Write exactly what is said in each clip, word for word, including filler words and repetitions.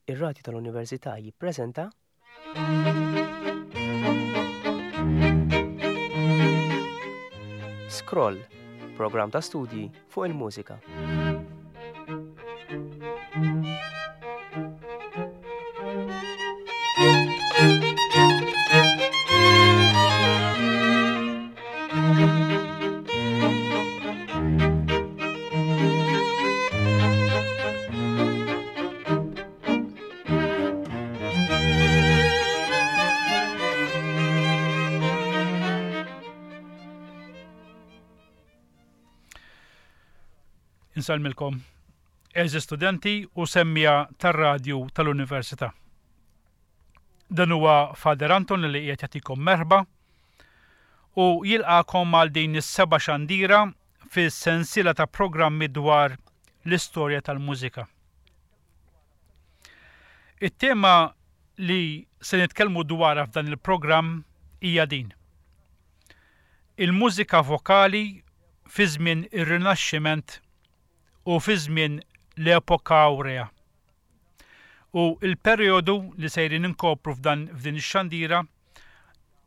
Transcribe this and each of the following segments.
Ir-Radju tal-Università jippreżenta Scroll, programm ta' studji fuq il-mużika. Insellmilkom, għeżież studenti u semmija tar-radju tal-Università. Dan huwa Father Anton li qiegħed jagħtikom merħba u jilqakom għal din is-seba' xandira fis-sensiela ta' programmi dwar l-istorja tal-mużika. It-tema li se nitkellmu dwarha f'dan il-programm hija din. Il-mużika vokali fi żmien ir-Rinaxximent u fi żmien l-epoka awrea. U il-perjodu li sejrin inkopru f'dan f'din ix-xandira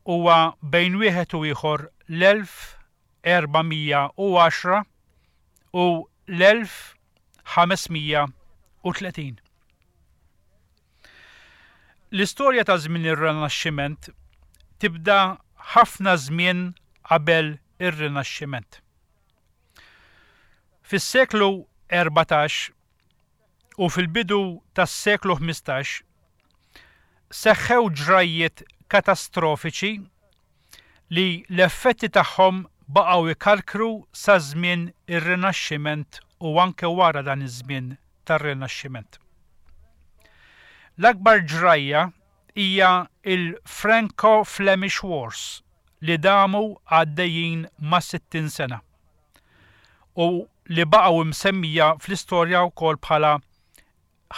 huwa bejn wieħed u ieħor l-elf erba' mija u għaxra u l-elf ħames mija u tletin. L-istorja ta' żmien ir-Rinaxximent tibda ħafna żmien qabel ir-Rinaxximent. Fis-seklu erbatax u fil-bidu tas-seklu ħmistax seħħew ġrajjiet katastrofiċi li l-effetti tagħhom baqgħu jkarkru sa żmien ir-Rinaxximent u anke wara dan iż-żmien tar-Rinaxximent. L-akbar ġrajja hija il-Franco-Flemish Wars li damu għaddejjin ma' sittin sena u li baqgħu msemmija fl-istorja wkoll bħala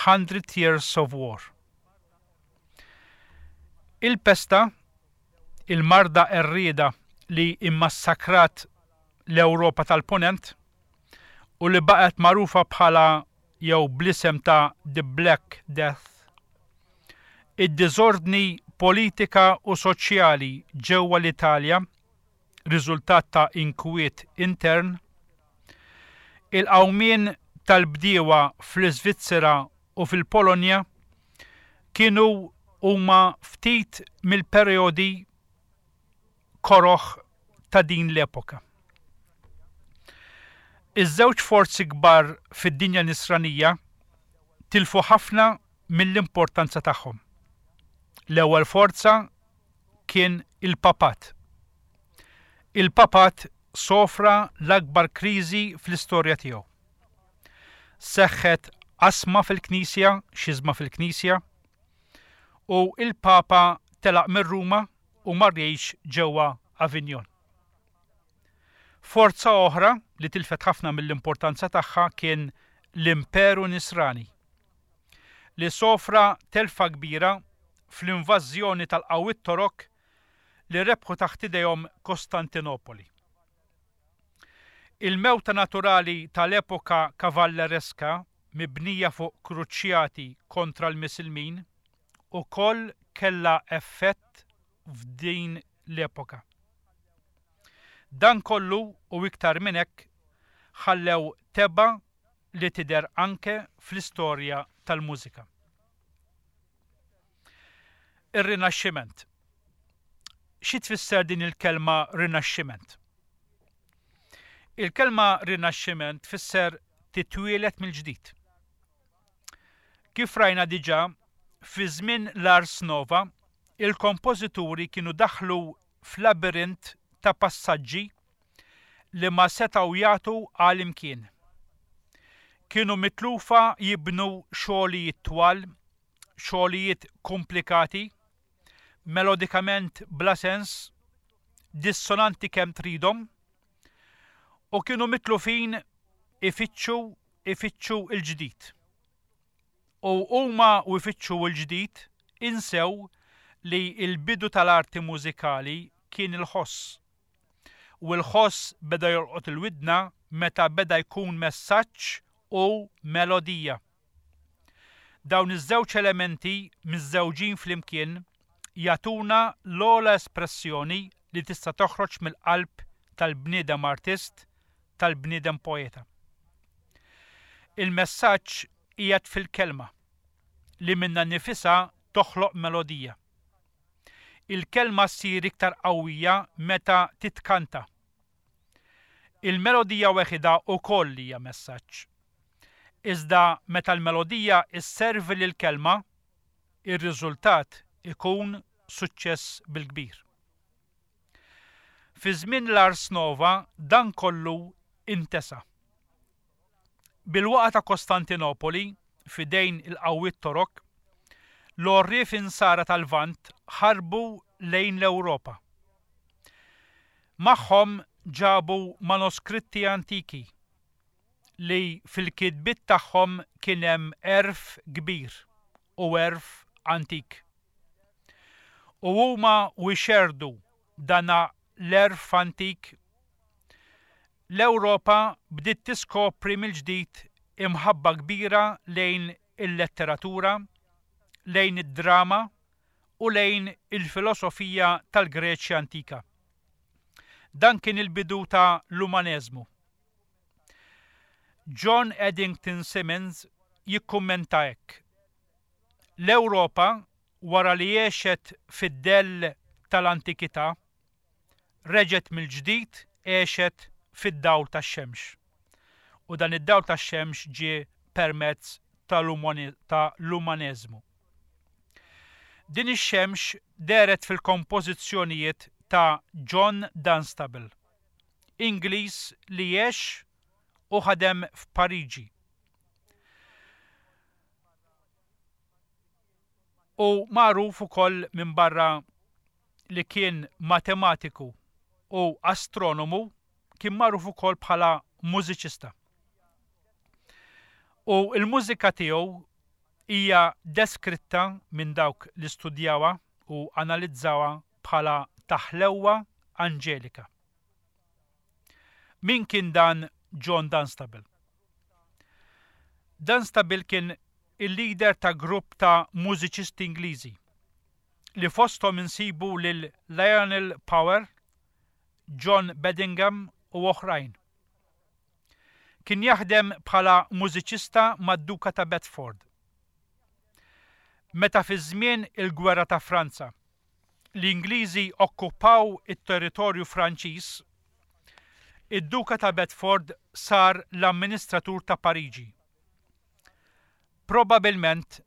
Hundred Years of War. Il-pesta, il-marda qerrieda li immassakrat l-Ewropa tal-Ponent u li baqgħet magħrufa bħala jew bl-isem ta' The Black Death, id-diżordni politika u soċjali ġewwa l-Italja, riżultat ta' inkwiet intern, il-qawmien tal-bdiewa fl-Iżvizzera u fil-Polonja kienu huma ftit mill-perjodi koroħ ta' din l-epoka. Iż-żewġ forzi kbar fid-dinja nisranija tilfu ħafna mill-importanza tagħhom. L-ewwel forza kien il-papat. Il-papat sofra l-akbar kriżi fl-istorja tiegħu. Seħħet qasma fil-Knisja, xiżma fil-Knisja, u il-Papa telaq minn Ruma u mar jgħix ġewwa Avignon. Forza oħra li tilfet ħafna mill-importanza tagħha kien l-Imperu Nisrani, li sofra telfa kbira fl-invażjoni tal-qawwiet Torok li rebħu taħt idejhom Kostantinopoli. Il-mewta naturali tal-epoka kavallereska mibnija fuq kruċjati kontra l-Misilmin ukoll kellha effett f'din l-epoka. Dan kollu u iktar minn hekk ħallew teba li tidher anke fl-istorja tal-mużika. Ir-Rinaxximent. Xi tfisser din il-kelma Rinaxximent? Il-kelma Rinaxximent tfisser titwielet mill-ġdid. Kif rajna diġà, fi żmien l-Ars Nova, il-kompożituri kienu daħlu f'labirint ta' passaġġi li ma setgħu jagħtu għal imkien. Kienu mitlufa jibnu xogħlijiet twal, xogħlijiet komplikati, melodikament bla sens, dissonanti kemm tridhom, u kienu mitlufin ifittxu, ifittxu il-ġdid. U huma u ifittxu l-ġdid insew li l-bidu tal-arti mużikali kien il-ħoss. U l-ħoss beda jolqot il-widna meta beda jkun messaġġ u melodija. Dawn iż-żewġ elementi miżżewġin flimkien jagħtuna l-ogħla espressjoni li tista' toħroġ mill-qalb tal-bniedem artist, tal-bniedem poeta. Il-messaġġ qiegħed fil-kelma li minnha nnifisha toħloq melodija. Il-kelma ssir iktar qawwija meta titkanta. Il-melodija weħidha wkoll hija messaġġ. Iżda meta l-melodija sservi lill-kelma, ir-riżultat ikun suċċess bil-kbir. Fi żmien l-Ars Nova dan kollu intesa. Bil-waqgħa ta' Kostantinopoli f'idejn il-qawwiet Torok, l-għorrief insara tal-Lvant ħarbu lejn l-Ewropa. Magħhom ġabu manuskritti antiki li fil-kitbiet tagħhom kien hemm għerf kbir u għerf antik. U huma u jxerrdu dana l-għerf antik, l-Ewropa bdiet tiskopri mill-ġdid imħabba kbira lejn il-letteratura, lejn id-drama u lejn il-filosofija tal-Greċja antika. Dan kien il-bidu ta' l-umaneżmu. John Addington Symonds jikkummenta hekk: L-Ewropa, wara li għexet fid-dell tal-antikità, reġgħet mill-ġdid għexet fid-dawl tax-xemx. U dan id-dawl tax-xemx ġie permezz tal-umaneżmu. Din ix-xemx dehret fil-kompożizzjonijiet ta' John Dunstable, Ingliż li għex u ħadem f'Pariġi. U magħruf ukoll minn barra li kien matematiku u astronomu, kien magħruf ukoll bħala mużiċista. U l-mużika tiegħu hija deskritta minn dawk li studjawha u analizzawha bħala taħlewwa anġelika. Min kien dan John Dunstable? Dunstable kien il-leader ta' grupp ta' mużiċisti Ingliżi li fosthom insibu lil Lionel Power, John Bedingham u oħrajn. Kien jaħdem bħala mużiċista mad-Duka ta' Bedford. Meta fi żmien il-Gwerra ta' Franza l-Ingliżi okkupaw it-territorju Franċiż, id-Duka ta' Bedford sar l-amministratur ta' Pariġi. Probabilment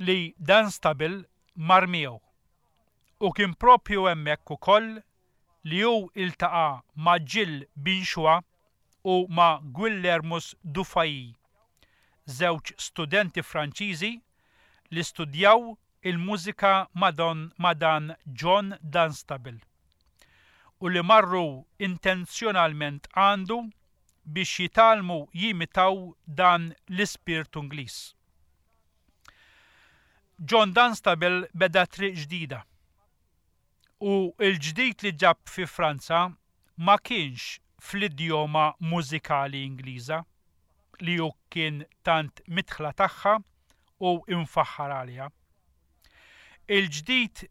li Dunstable mar miegħu u kien propju hemmhekk ukoll li hu iltaqa' ma' Gilles Binchois u ma' Guillermus Dufay, żewġ studenti Franċiżi li studjaw il-mużika ma' dan John Dunstable u li marru intenzjonalment għandu biex jitgħallmu jimitaw dan l-ispirtu Ingliż. John Dunstable beda triq ġdida u l-ġdid li ġab fi Franza ma kienx fl-idjoma mużikali Ingliża li hu kien tant midħla tagħha u imfaħħar għaliha. Il-ġdid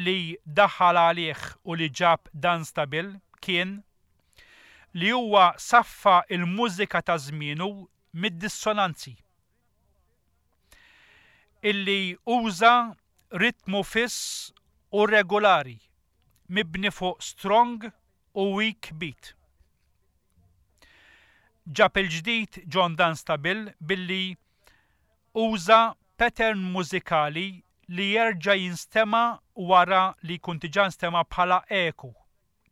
li daħal għalih u li ġab Dunstable kien li huwa saffa il-mużika ta' żmienu mid-dissonanzi, illi uża ritmu fiss u regolari mibni fuq strong u weak beat. Ġab il-ġdid John Dunstable billi uża pattern mużikali li jerġa' jinstema' wara li jkun diġà nstema' bħala eku,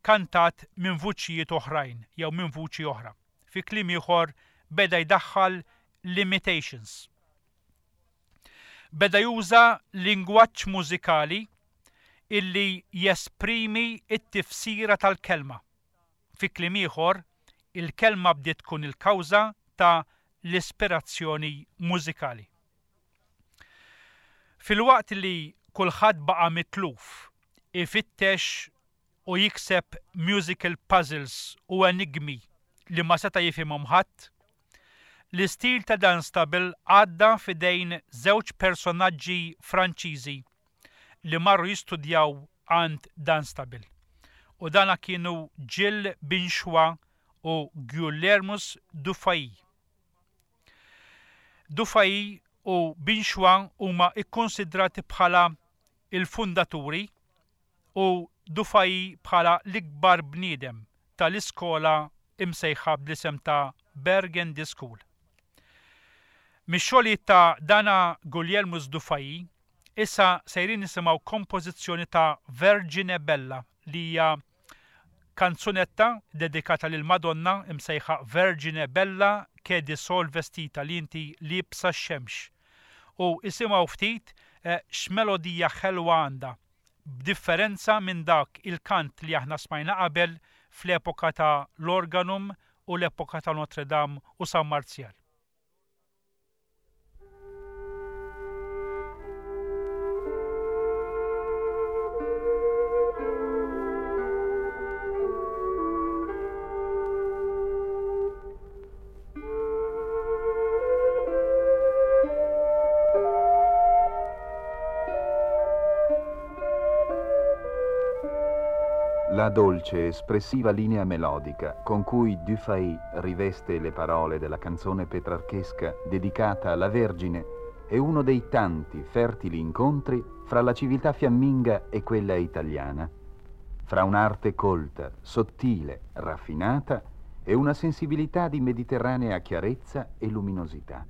kantat minn vuċijiet oħrajn jew minn vuċi oħra. Fi kliem ieħor beda jdaħħal limitations. Beda juża lingwaġġ mużikali illi jesprimi t-tifsira tal-kelma. Fi kliem ieħor, il-kelma bdiet tkun il-kawża ta' l-ispirazzjoni mużikali. Filwaqt li kulħadd baqa' mitluf ifittex u jikseb musical puzzles u enigmi li ma seta' jifhimhom ħadd, L-istil ta' Dunstable għadda f'idejn żewġ personaġġi Franċiżi li marru jistudjaw għand Dunstable. U dana kienu Gilles Binchois u Guillermus Dufay. Dufay u Binchois huma ikkonsidrati bħala il-fundaturi u Dufay bħala l-ikbar bniedem tal-iskola imsejħa bl-isem ta' Burgundy School. Mix-xogħlijiet ta' dana Guillermus Dufay, issa sejrin nisimgħu kompożizzjoni ta' Vergine Bella li hija kanzunetta dedikata lil Madonna imsejħa Vergine Bella che di sol vestita, li inti liebsa x-xemx. U isimgħu ftit eh, x'melodija ħelwa għandha, b'differenza minn dak il-kant li aħna smajna qabel fl-epoka ta' l-Organum u l-epoka ta' Notre Dame u San Marzjal. La dolce, espressiva linea melodica con cui Dufay riveste le parole della canzone petrarchesca dedicata alla Vergine è uno dei tanti fertili incontri fra la civiltà fiamminga e quella italiana, fra un'arte colta, sottile, raffinata e una sensibilità di mediterranea chiarezza e luminosità.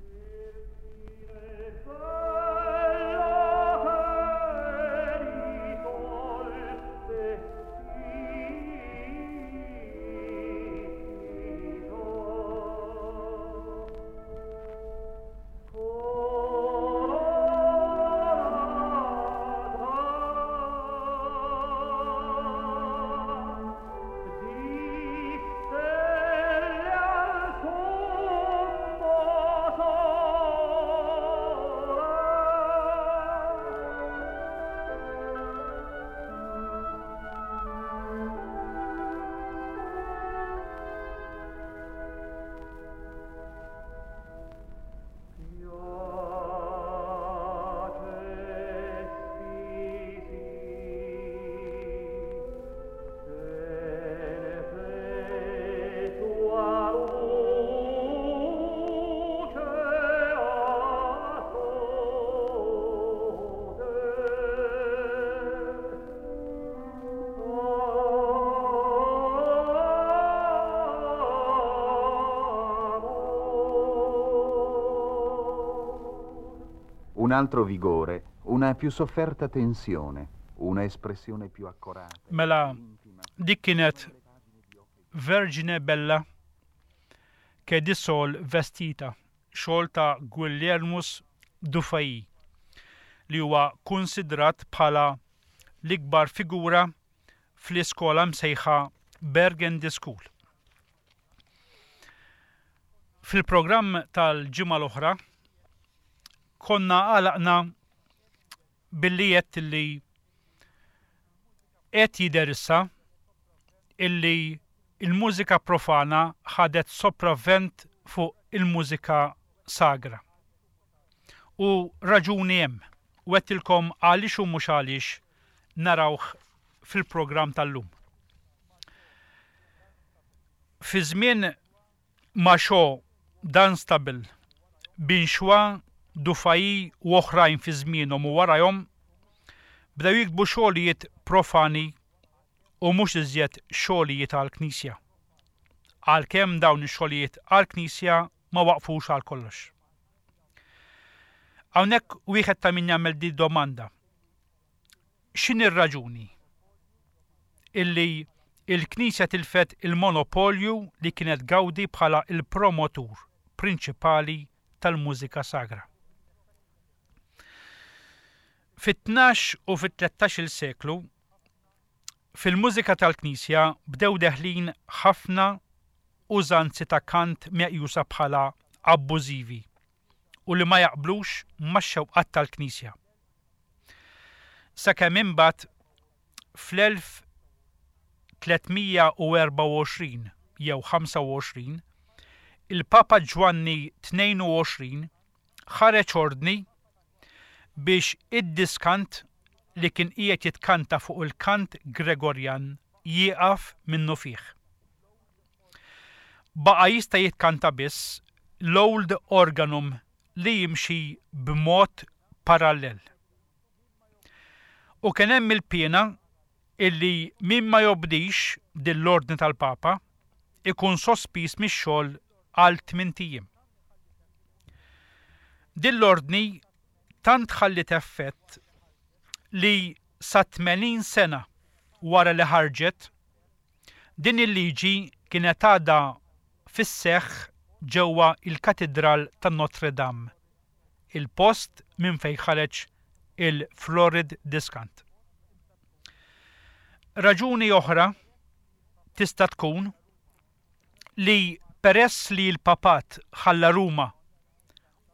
Un altro vigore, una più sofferta tensione, una espressione più accorata. Mela, dik kienet Vergine Bella che di sol vestita, xogħol ta' Guillermus Dufay, li huwa konsidrat bħala l-ikbar figura fl-iskola msejħa Burgundy School. Fil-programm tal-ġimgħa l-oħra konna għalaqna billi qed li qed jidher issa illi il-mużika profana ħadet sopravvent fuq il-mużika sagra. U raġuni hemm, u għedtilkom għaliex u mhux għaliex narawh fil-programm tal-lum. Fi żmien Machaut, Dunstable, Binchois, Dufay u oħrajn fi żmienhom u warajhom bdew jiktbu xogħlijiet profani u mhux iżjed xogħlijiet għall-Knisja. Għalkemm dawn ix-xogħlijiet għall-Knisja ma waqfux għal kollox. Hawnhekk wieħed ta' min jagħmel di domanda. X'inhi r-raġuni illi il-Knisja tilfet il-monopolju li kienet gawdi bħala il-promotur prinċipali tal-mużika sagra? Fit-tnax u fit-tlettax-il seklu, fil-mużika tal-Knisja bdew deħlin ħafna użanzi ta' kant meqjusa bħala abbużivi u li ma jaqblux max-xewqat tal-Knisja. Sakemm imbagħad fl-elf tliet mija u erbgħa u għoxrin jew ħamsa u għoxrin, il-Papa Ġwanni tnejn u għoxrin ħareġ ordni biex id-diskant li kien qiegħed jitkanta fuq il-kant Gregorjan jieqaf minnu fih. Baqa' jista' jitkanta biss l-Old Organum li jimxi b'mod parallel. U kien hemm il-piena illi min ma jobdix din l-ordni tal-Papa ikun sospiż mix-xogħol għal tmint ijiem. Din l-ordni tant ħalliet effett li sa tmenin sena wara li ħarġet, din il-liġi kienet għadha fis-seħħ ġewwa il-Katidral ta' Notre Dame, il-post minn fejn ħareġ il-Florid Discant. Raġuni oħra tista' tkun li peress li l-papat ħalla Ruma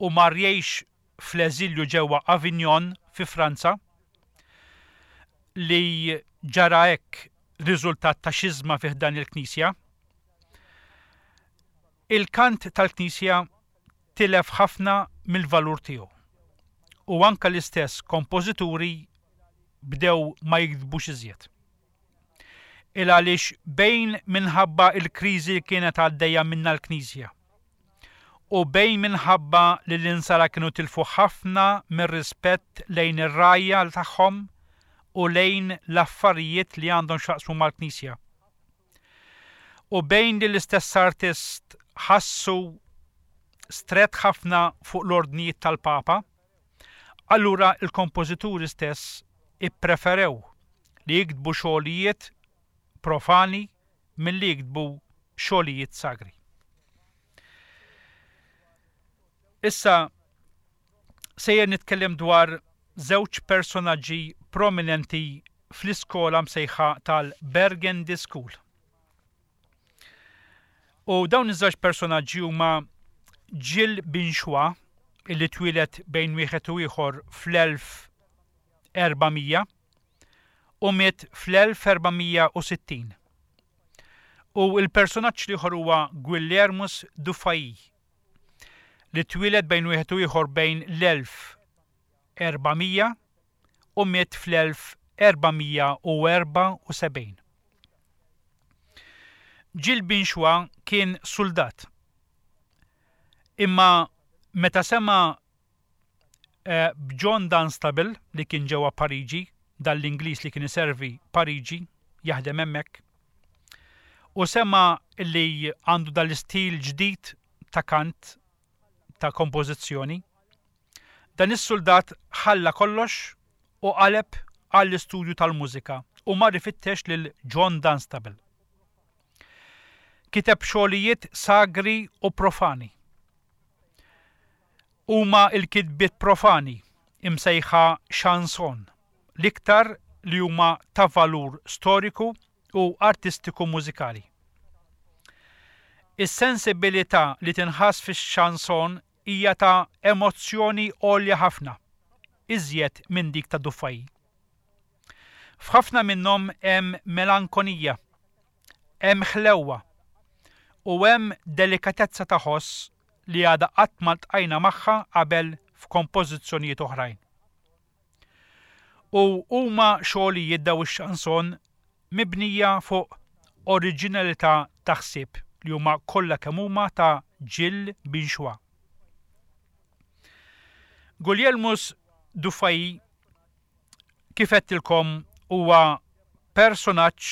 u mar jgħix fl-eżilju ġewwa Avignon fi Franza, li ġara hekk riżultat ta' xiżma fih dan il-Knisja, il-kant tal-Knisja tilef ħafna mill-valur tiegħu. U anka l-istess kompożituri bdew ma jiktbux iżjed. Il għaliex bejn minħabba il-kriżi li kienet għaddejja minna l-Knisja u bejn minħabba li l-insara kienu tilfu ħafna mir-rispett lejn ir-rajja tagħhom u lejn l-affarijiet li għandhom x'jaqsmu mal-Knisja. U bejn li l-istess artist ħassu stret ħafna fuq l-ordnijiet tal-Papa, allura il-kompożituri stess ippreferew li jiktbu xogħlijiet profani milli jiktbu xogħlijiet sagri. Issa sejjer nitkellem dwar żewġ personaġġi prominenti fl-iskola msejħa tal-Burgundy School. U dawn iż-żewġ personaġġi huma Gilles Binchois, illi twieled bejn wieħed u ieħor fl-elf erbamija u miet fl-elf erbamija u sittin. U il-personaġġ l-ieħor huwa Guillermus Dufay, li twieled bejn wieħed u ieħor bejn l-elf erbamija u miet fl-elf erbamija u erbgħa u sebgħin. Gilles Binchois kien soldat. Imma meta sema, eh, b'John Dunstable li kien ġewwa Pariġi, dan l-Ingliż li kien iservi Pariġi, jaħdem hemmhekk, u sema li għandu dal-istil ġdid ta' kant, ta' kompożizzjoni, dan is-soldat ħalla kollox u qaleb għall-istudju tal-mużika u mar ifittex lil John Dunstable. Kiteb xogħlijiet sagri u profani. Huma l-kitbiet profani imsejħa chanson, l-iktar li huma ta' valur storiku u artistiku mużikali. Is-sensibilità li tinħass fix-chanson hija ta' emozzjoni għolja ħafna, iżjed minn dik ta' Dufay. F'ħafna minnhom hemm melankonija, hemm ħlewwa u hemm delikatezza ta' ħoss li għadha qatt ma ltqajna magħha qabel f'kompożizzjonijiet oħrajn. U huma xogħlijiet daw ix-chanson mibnija fuq oriġinalità ta' ħsieb li huma kollha kemm huma ta' Gilles Binchois. Guglielmus Dufay, kif għedtilkom, huwa personaġġ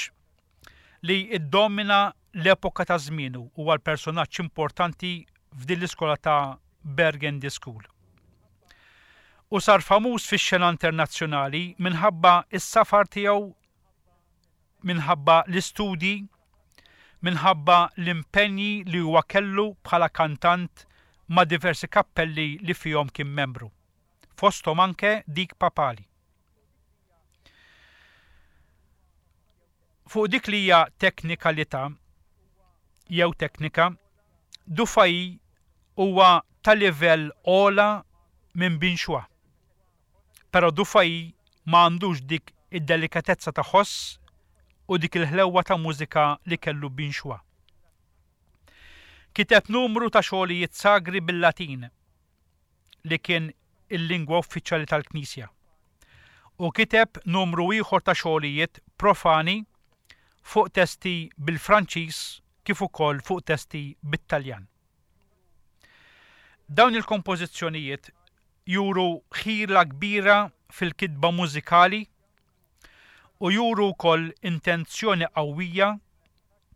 li iddomina l-epoka ta' żmienu, huwa l-personaġġ importanti f'din l-iskola ta' Burgundy School. U sar famuż fix-xena internazzjonali minħabba s-safar tiegħu, minħabba l-istudji, minħabba l-impenji li huwa kellu bħala kantant ma' diversi kappelli li fihom kien membru, fosthom anke dik papali. Fuq dik li hija teknikalità jew teknika, Dufay huwa ta' livell ogħla minn Binchois. Però Dufay ma għandux dik id-delikatezza ta' ħoss u dik il-ħlewwa ta' mużika li kellu Binchois. Kiteb numru ta' xogħlijiet sagri bil-Latin li kien il-lingwa uffiċjali tal-Knisja. U kiteb numru ieħor ta' xogħlijiet profani fuq testi bil-Franċiż kif ukoll fuq testi bit-Taljan. Dawn il-kompożizzjonijiet juru ħila kbira fil-kitba mużikali u juru wkoll intenzjoni qawwija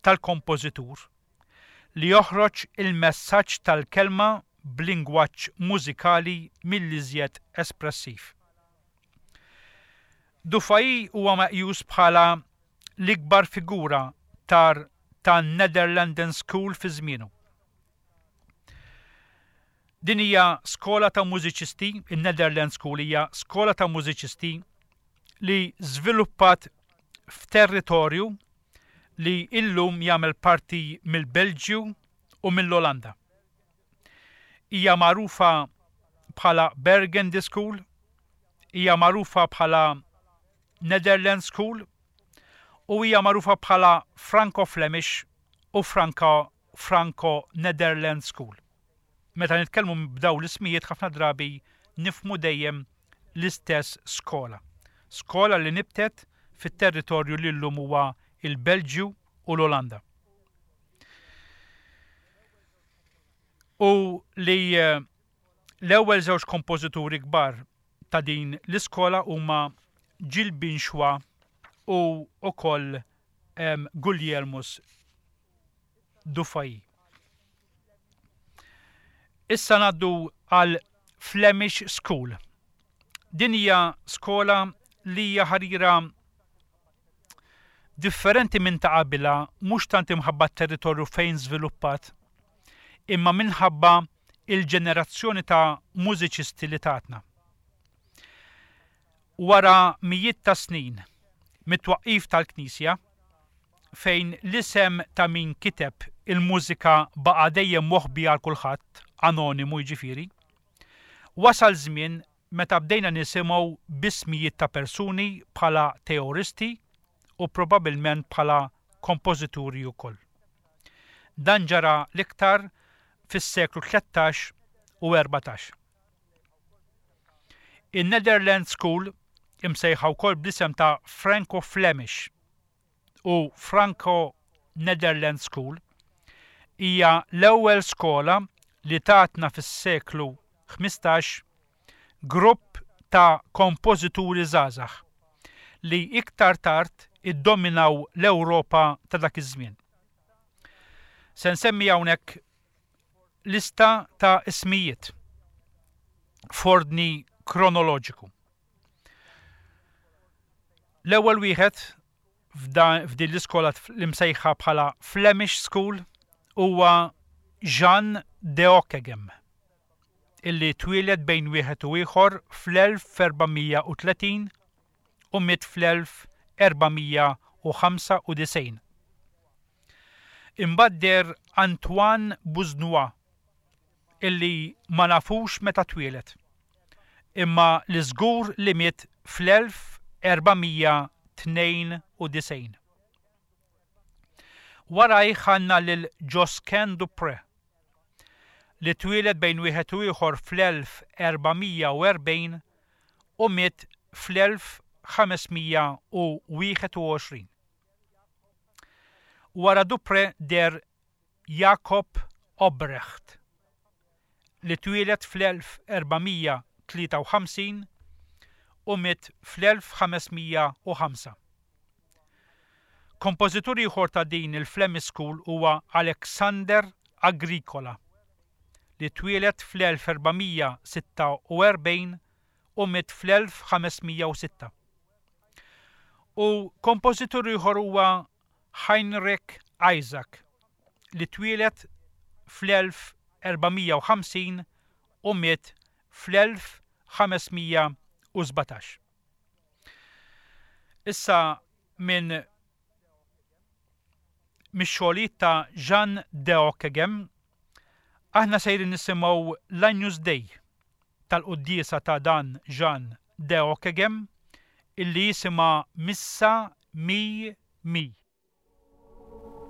tal-kompożitur li joħroġ il-messaġġ tal-kelma b'lingwaġġ mużikali mill-iżjed espressiv. Dufay huwa meqjus bħala l-ikbar figura tar ta' Nederlanden School fi żmienu. Din hija skola ta' mużiċisti, in-Netherlands School hija skola ta' mużiċisti li żviluppat f'territorju li illum jagħmel parti mill-Belġju u mill-Olanda. Hija magħrufa bħala Burgundy School, hija magħrufa bħala Netherlands School u hija magħrufa bħala Franco-Flemish u Franco Franco-Netherlands School. Meta nitkellmu b'dawn l-ismijiet ħafna drabi nifhmu dejjem l-istess skola. Skola li nibtet fit-territorju li llum huwa il-Belġju u l-Olanda. U li eh, l-ewwel żewġ kompożituri kbar ta' din l-iskola huma Gilles Binchois u ukoll um, Guglielmus Dufay. Issa ngħaddu għal Flemish School. Din hija skola li hija ħarira differenti minn ta' qabilha mhux tant imħabba t-territorju fejn żviluppat, imma minħabba il-ġenerazzjoni ta' mużiċisti li tatna. Wara mijiet ta' snin mit-twaqqif tal-Knisja, fejn l-isem ta' min kiteb il-mużika baqa' dejjem moħbi għal kulħadd, anonimu jiġifieri, wasal żmien meta bdejna nisimgħu b'ismijiet ta' persuni bħala teoristi u probabbilment bħala kompożituri wkoll. Dan ġara l-iktar fis-seklu tlettax u erbatax. In-Netherlands School imsejħa wkoll bl-isem ta' Franco-Flemish u Franco-Netherlands School hija l-ewwel skola li tatna fis-seklu ħmistax grupp ta' kompożituri żgħażagħ li iktar tard iddominaw l-Ewropa ta' dak iż-żmien. Se nsemmi hawnhekk lista ta' ismijiet f'ordni kronoloġiku. L-ewwel wieħed f'din l-iskola li msejħa bħala Flemish School huwa Jean de Ockeghem, illi twieled bejn wieħed u ieħor fl-elf erba' mija u tletin u miet fl-elf erba' mija u ħamsa u disgħin. Imbagħad deher Antoine Busnois, illi ma nafux meta twieled, imma li żgur li miet fl-elf erba' mija tnejn u disgħin. Warajh għandna lil Josquin Dupré, li twieled bejn wieħed u ieħor fl-elf erba' mija u erbgħin u miet fl-elf ħames mija u wieħed u għoxrin. Wara Dupré der Jacob Obrecht, li twieled fl-elf erba' mija tlieta u ħamsin u miet fl-elf ħames mija u ħamsa. Kompożitur ieħor ta' din il-Flemish School huwa Alexander Agricola, li twieled fl-elf erba' mija sitta u erbgħin u miet fl-elf ħames mija u sitta. U kompożitur ieħor huwa Heinrich Isaac, li twieled fl-elf erba' mija u ħamsin u miet fl-elf ħames mija u sbatax. Issa minn mix-xogħlijiet ta' Jean de Ockeghem, aħna sejrin nisimgħu l-Agnus Dei tal-quddiesa ta' dan Jean de Ockeghem illi jisimha Missa Mi Mi. Thank you.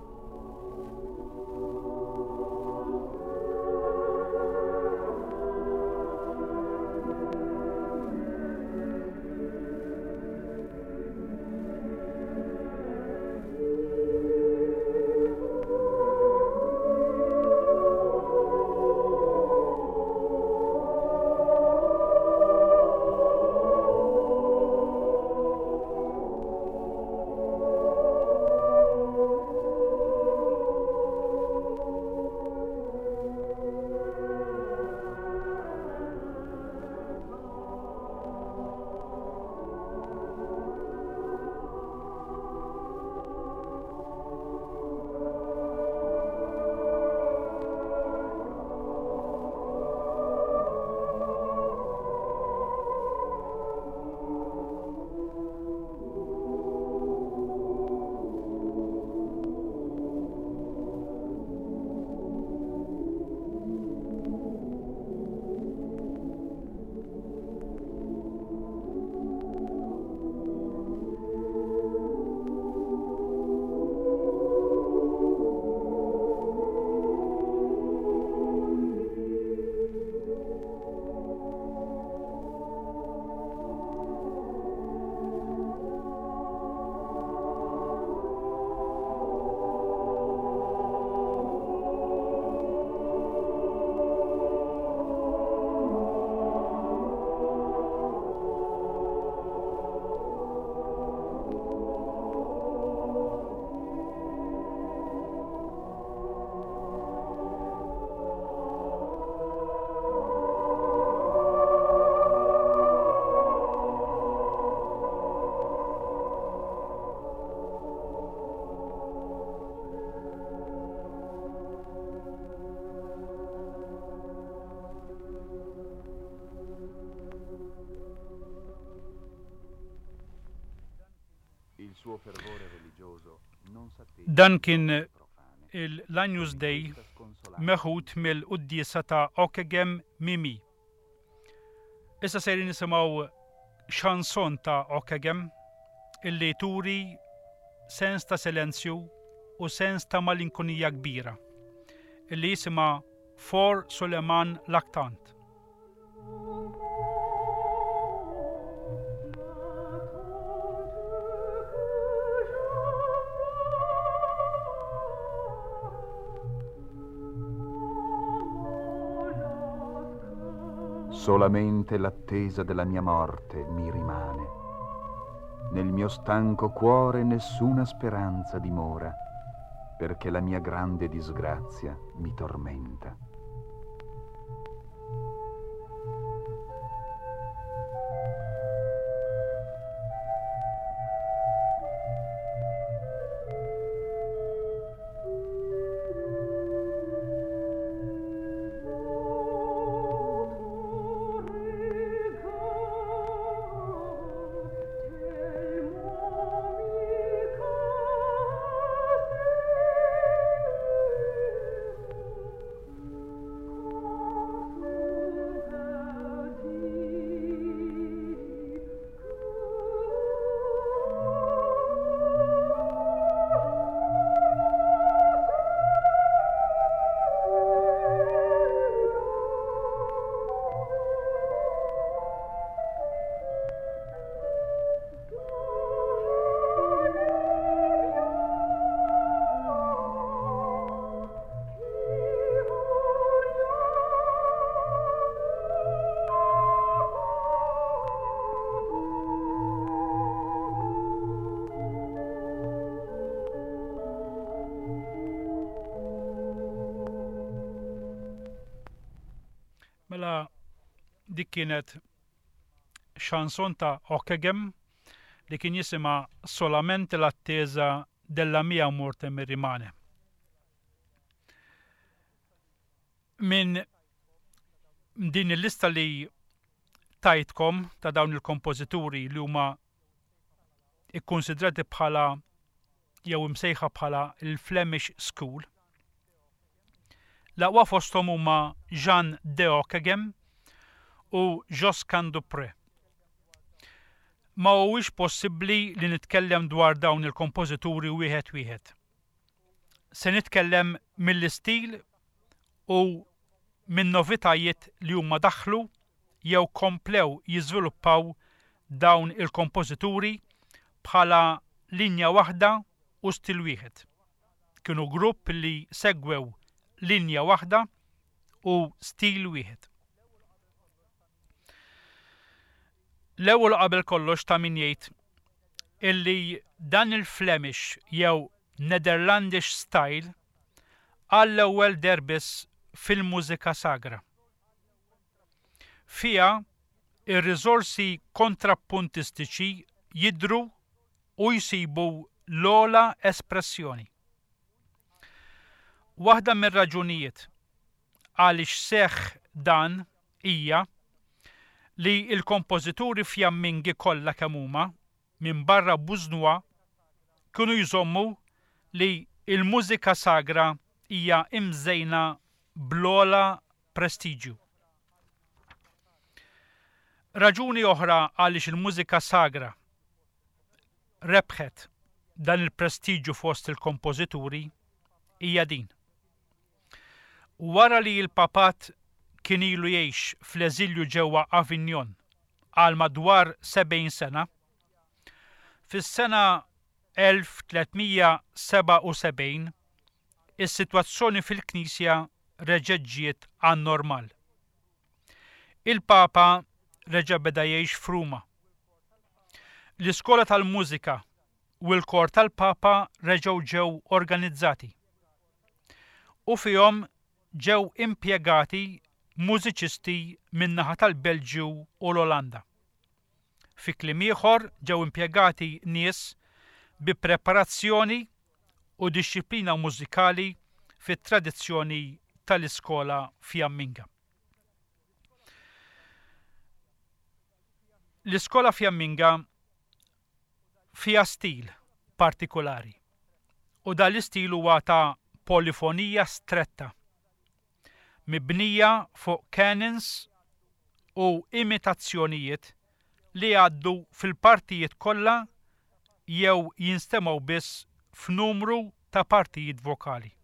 Dan kien l-Agnus Dei meħud mill-quddiesa ta' Ockeghem Mimi. Issa sejrin nisimgħu chanson ta' Ockeghem illi turi sens ta' silenzju u sens ta' malinkonija kbira illi jisimha For Suleiman Lactant. Solamente l'attesa della mia morte mi rimane. Nel mio stanco cuore nessuna speranza dimora, perché la mia grande disgrazia mi tormenta. Mela dik kienet chanson ta' Ockeghem li kien jisimha Solamente l'attesa della mia morte mi rimane. Min din il-lista li tajtkom ta' dawn il-kompożituri li huma ikkonsidrati bħala jew imsejħa bħala il-Flemish School, l-aqwa fosthom huma Jean de Ockeghem u Josquin des Prez. Ma huwiex possibbli li nitkellem dwar dawn il-kompożituri wieħed wieħed. Se nitkellem mill-istil u minn novitajiet li huma daħlu jew komplew jiżviluppaw dawn il-kompożituri bħala linja waħda u stil wieħed. Kienu grupp li segwew linja waħda u stil wieħed. L-ewwel qabel kollox ta' min jgħid illi dan il-Flemish jew Netherlandish style għall-ewwel deher biss fil-mużika sagra. Fiha ir-riżorsi kontrappuntistiċi jidhru u jsibu l-ogħla espressjoni. Waħda mir-raġunijiet għaliex seħħ dan hija li l-kompożituri fjammingi kollha kemm huma minn barra Busnois kienu jżommu li l-mużika sagra hija imżejna bl-ogħla prestiġju. Raġuni oħra għaliex il-mużika sagra rebħet dan il-prestiġju fost il-kompożituri hija din. Wara li l-papat kien ilu jgħix fl-eżilju ġewwa Avignon għal madwar sebgħin sena, fis-sena elf tliet mija sebgħa u sebgħin is-sitwazzjoni fil-Knisja reġgħet ġiet għan-normal. Il-Papa reġa' beda jgħix f'Ruma. L-iskola tal-mużika u l-kor tal-Papa reġgħu ġew organizzati u fihom ġew impjegati mużiċisti min-naħa tal-Belġju u l-Olanda. Fi kliem ieħor ġew impjegati nies bi preparazzjoni u dixxiplina mużikali fit-tradizzjoni tal-iskola fjamminga. L-iskola fjamminga fiha stil partikolari. U dan l-istil huwa ta' polifonija stretta, mibnija fuq canons u imitazzjonijiet li għaddu fil-partijiet kollha jew jinstemgħu biss f'numru ta' partijiet vokali.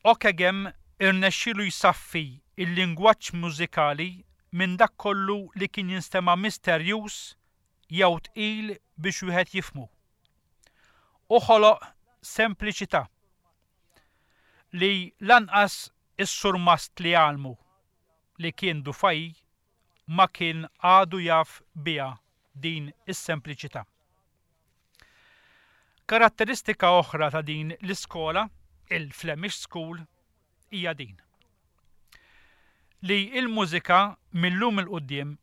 Ockeghem irnexxielu jsaffi il-lingwaġġ mużikali minn dak kollu li kien jinstema' misterjuż jew tqil biex wieħed jifhmu. U ħoloq sempliċità li lanqas is-surmast li għallmu li kien Dufay ma kien għadu jaf biha din is-sempliċità. Karatteristika oħra ta' din l-iskola, il-Flemish School, hija din. Li il-mużika mil-lum 'il quddiem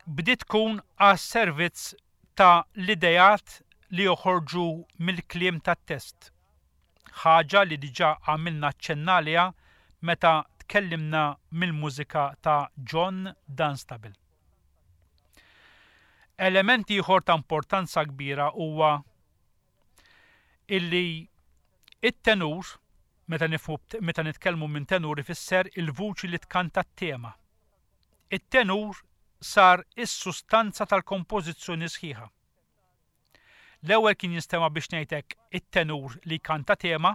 bdiet tkun għas-servizz ta' l-idejat li joħorġu mill-kliem tat-test. Ħaġa li diġà għamilna ċenna għaliha meta tkellimna mill-mużika ta' John Dunstable. Element ieħor ta' importanza kbira huwa illi it-tenur, meta nifhmu meta nitkellmu minn tenur ifisser il-vuċi li tkanta t-tema. It-tenur sar is-sustanza tal-kompożizzjoni sħiħa. L-ewwel kien jinstema' biex ngħidlek it-tenur li kanta tema,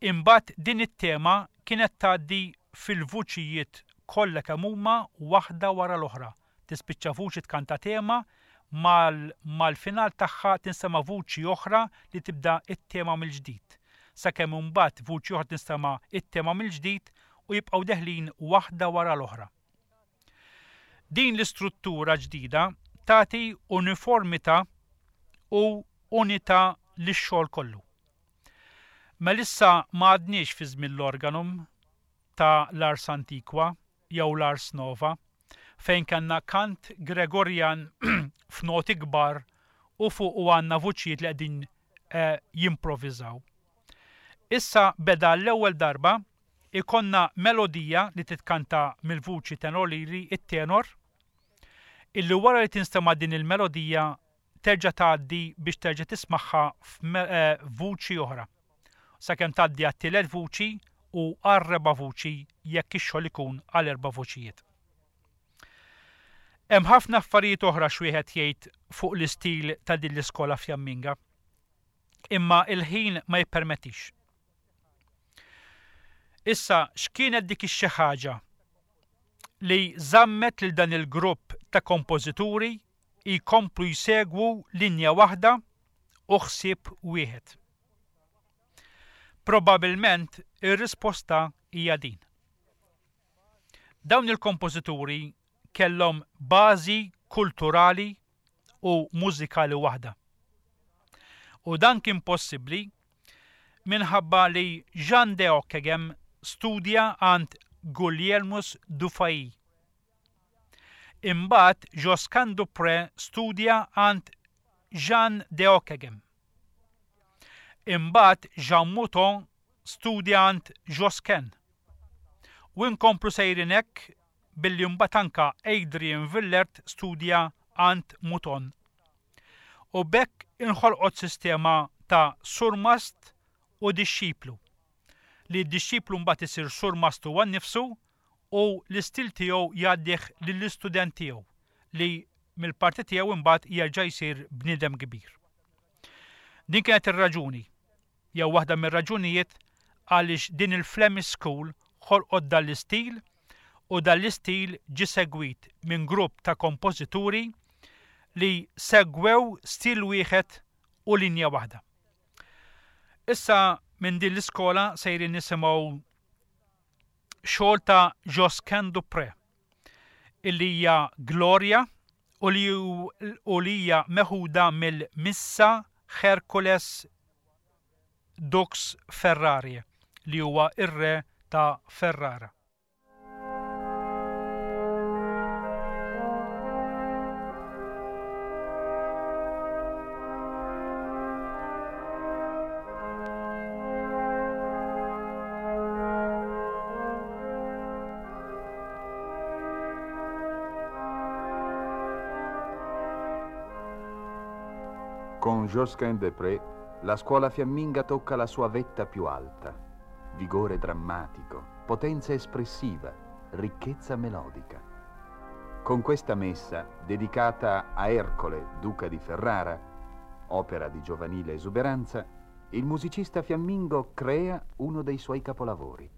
imbagħad din it-tema kienet tgħaddi fil-vuċijiet kollha kemm huma waħda wara l-oħra. Tispiċċa vuċi tkanta tema, mal, mal-final tagħha tinstema' vuċi oħra li tibda it-tema mill-ġdid. Sakemm imbagħad vuċi oħra tinstema' it-tema mill-ġdid u jibqgħu deħlin waħda wara l-oħra. Din l-istruttura ġdida tagħti uniformità u unità lix-xogħol kollu. Melissa ma għadniex fi żmien l-organum ta' l-Ars Antiqua jew l-Ars Nova, fejn kellna kant Gregorian f'noti kbar u fuq u għandna vuċijiet li qegħdin eh, jimprovviżaw. Issa beda l-ewwel darba ikonna melodija li titkanta mill-vuċi tenorili, it-tenor, illi wara li tinstema' din il-melodija terġa' tgħaddi biex terġa' tismagħha f'vuċi oħra. Sakemm tgħaddi għat-tielet vuċi u għar-reba' vuċi jekk ix-xogħol ikun għal erba' vuċijiet. Hemm ħafna affarijiet oħra x'wieħed jgħid fuq l-istil ta' din l-iskola Fjamminga, imma il-ħin ma jippermettix. Issa, x'kienet dik ix-xi ħaġa li żammet lil dan il-grupp ta' kompożituri jkomplu jsegwu linja waħda u ħsieb wieħed? Probabilment ir-risposta hija din. Dawn il-kompożituri kellhom bażi kulturali u mużikali waħda. U dan kien possibbli minħabba li Jean de Ockeghem studja għand Guglielmus Dufay. Imbagħad Josquin des Prez studja għand Jean de Ockeghem. Imbagħad Jean Mouton studja għand Josquin. U nkomplu sejrin hekk billi mbagħad anka Adrian Willaert studja għand Mouton. U b'hekk inħolqot sistema ta' surmast u dixxiplu, li d-dixxiplu mbagħad isir surmast huwa nnifsu u l-istil tiegħu jgħaddih lill-istudent tiegħu li mill-parti tiegħu imbagħad jerġa' jsir bniedem kbir. Din kienet ir-raġuni, jew waħda mir-raġunijiet għaliex din il-Flemish School ħolqot dan l-istil u dan l-istil ġie segwit minn grupp ta' kompożituri li segwew stil wieħed u linja waħda. Issa minn din l-iskola sejrin nisimgħu xogħol ta' Josquin des Prez illi hija Gloria u li u li hija meħuda mill-Missa Hercules Dux Ferrari li huwa ir-re ta' Ferrara. Con Josquin des Prez, la scuola fiamminga tocca la sua vetta più alta. Vigore drammatico, potenza espressiva, ricchezza melodica. Con questa messa, dedicata a Ercole, duca di Ferrara, opera di giovanile esuberanza, il musicista fiammingo crea uno dei suoi capolavori.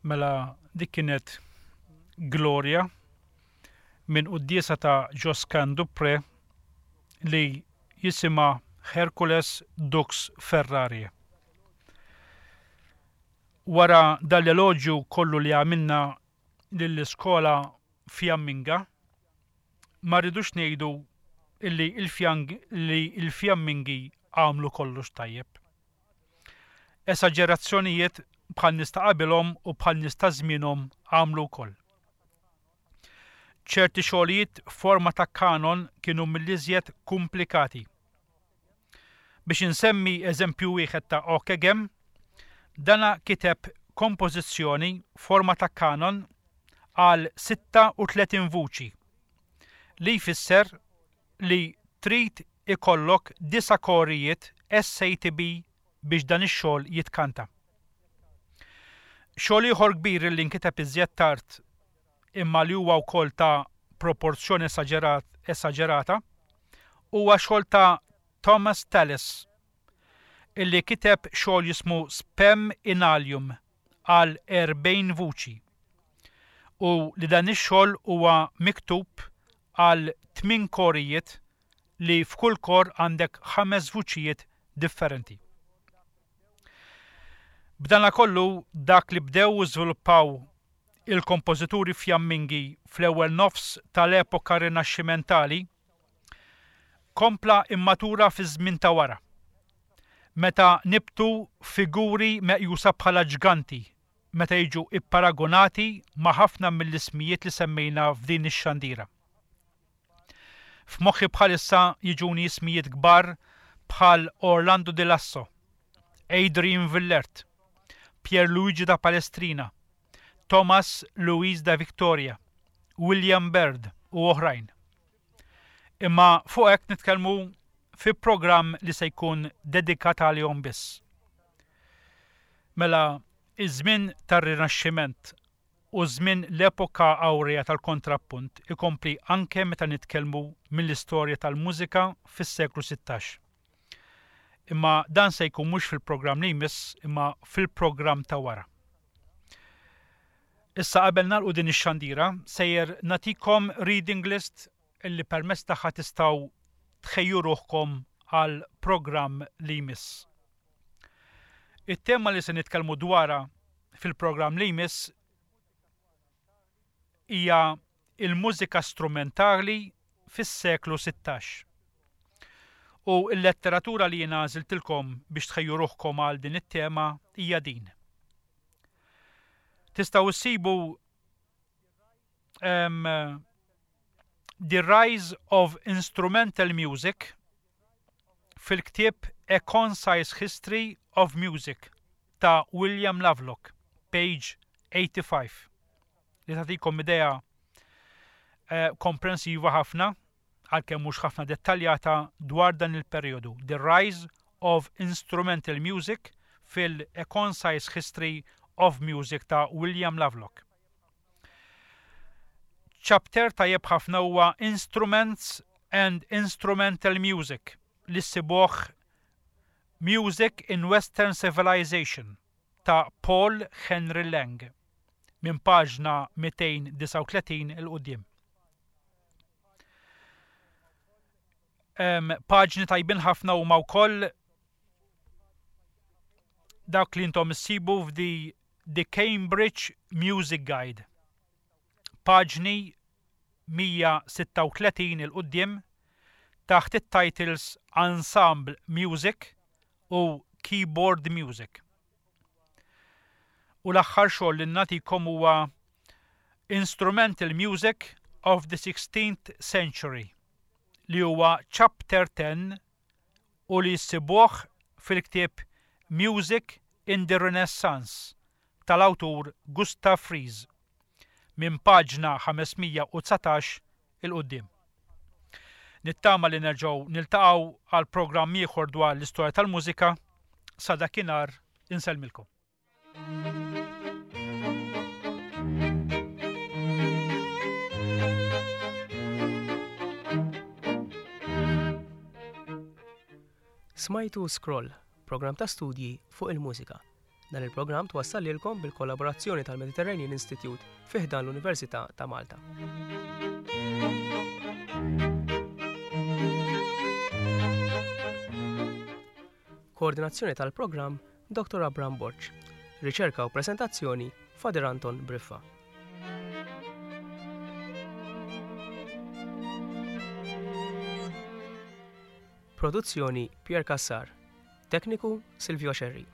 Mela dik kienet Gloria minn quddiesa ta' Josquin des Prez li jisimha Hercules Dux Ferrari. Wara dal-eloġju kollu li għamilna lill-iskola Fiamminga, ma rridux ngħidu illi il-Fjammingi għamlu kollox tajjeb. Esaġerazzjonijiet bħal nies ta' qabilhom u bħal nies ta' żmienhom għamlu wkoll. Ċerti xogħlijiet forma ta' kanon kienu mill-iżjed komplikati. Biex insemmi eżempju wieħed ta' Ockeghem, dana kiteb kompożizzjoni forma ta' kanon għal sitta u tletin vuċi, li jfisser li trid ikollok disa' korijiet S A T B biex dan ix-xogħol jitkanta. Xogħol ieħor kbir li nkiteb iżjed tard imma li huwa wkoll ta' proporzjoni esaġerata huwa xogħol ta' Thomas Tallis illi kiteb xogħol jismu Spem in Alium għal erbgħin vuċi u li dan ix-xogħol huwa miktub għal tmien korijiet li f'kull kor għandek ħames vuċijiet differenti. B'dana kollu dak li bdew u żviluppaw il-kompożituri Fjammingi fl-ewwel nofs tal-epoka rinaxximentali kompla immatura fi żmien ta' wara, meta nibtu figuri meqjusa bħala ġganti meta jiġu ipparagonati ma' ħafna mill-ismijiet li semmejna f'din ix-xandira. F'moħħi bħalissa jiġuni ismijiet kbar bħal Orlando di Lasso, Adrian Willaert, Pierluigi da Palestrina, Thomas Louis da Victoria, William Byrd u oħrajn. Imma fuq hekk nitkellmu fi programm li se jkun dedikat għalihom biss. Mela, iż-żmien tar-Rinaxximent u żmien l-epoka awrea tal-kontrappunt ikompli anke meta nitkellmu mill-istorja tal-mużika fis-seklu sittax. Imma dan se jkun mhux fil-programm li jmiss, imma fil-programm ta' wara. Issa qabel nagħlqu din ix-xandira, sejjer nagħtikom reading list illi permezz tagħha tistgħu tħejju ruħkom għal programm li jmiss. It-tema li se nitkellmu dwarha fil-programm li jmiss hija il-mużika strumentali fis-seklu sittax. U l-letteratura li jiena għażiltilkom biex tħejju ruħkom għal din it-tema hija din. Tistgħu issibu um, The Rise of Instrumental Music fil-ktieb A Concise History of Music ta' William Lovelock, page eighty-five, li tagħtikom idea eh, komprensiva ħafna, għalkemm mhux ħafna dettaljata, dwar dan il-perjodu. The Rise of Instrumental Music fil-A Concise History of Music ta' William Lovelock. Chapter tajjeb ħafna huwa Instruments and Instrumental Music li ssibuh Music in Western Civilization ta' Paul Henry Lang minn paġna mitejn disgħa u tletin 'il quddiem. Paġni tajbin ħafna huma wkoll dak li intom issibu f'di The Cambridge Music Guide. Paġni mija sitta u tletin 'il quddiem taħt it-titles Ensemble Music u Keyboard Music. U l-aħħar xogħol li nagħtikom huwa Instrumental Music of the sixteenth Century, li huwa Chapter ten u li jsibuh fil-ktieb Music in the Renaissance tal-awtur Gustav Fries minn paġna ħamesmija u dsatax 'il quddiem. Nittama li nerġgħu niltaqgħu għal programm ieħor dwar l-istorja tal-mużika. Sa dakinhar insellmilkom. Smajtu Scroll, programm ta' studji fuq il-mużika. Dan il-programm twassal lilkom bil-kollaborazzjoni tal-Mediterranean Institute fi ħdan l-Università ta' Malta. Koordinazzjoni tal-programm Doktor Abraham Borg. Riċerka u presentazzjoni Father Anton Briffa. Produzzjoni Pier Cassar. Tekniku Silvio Scerri.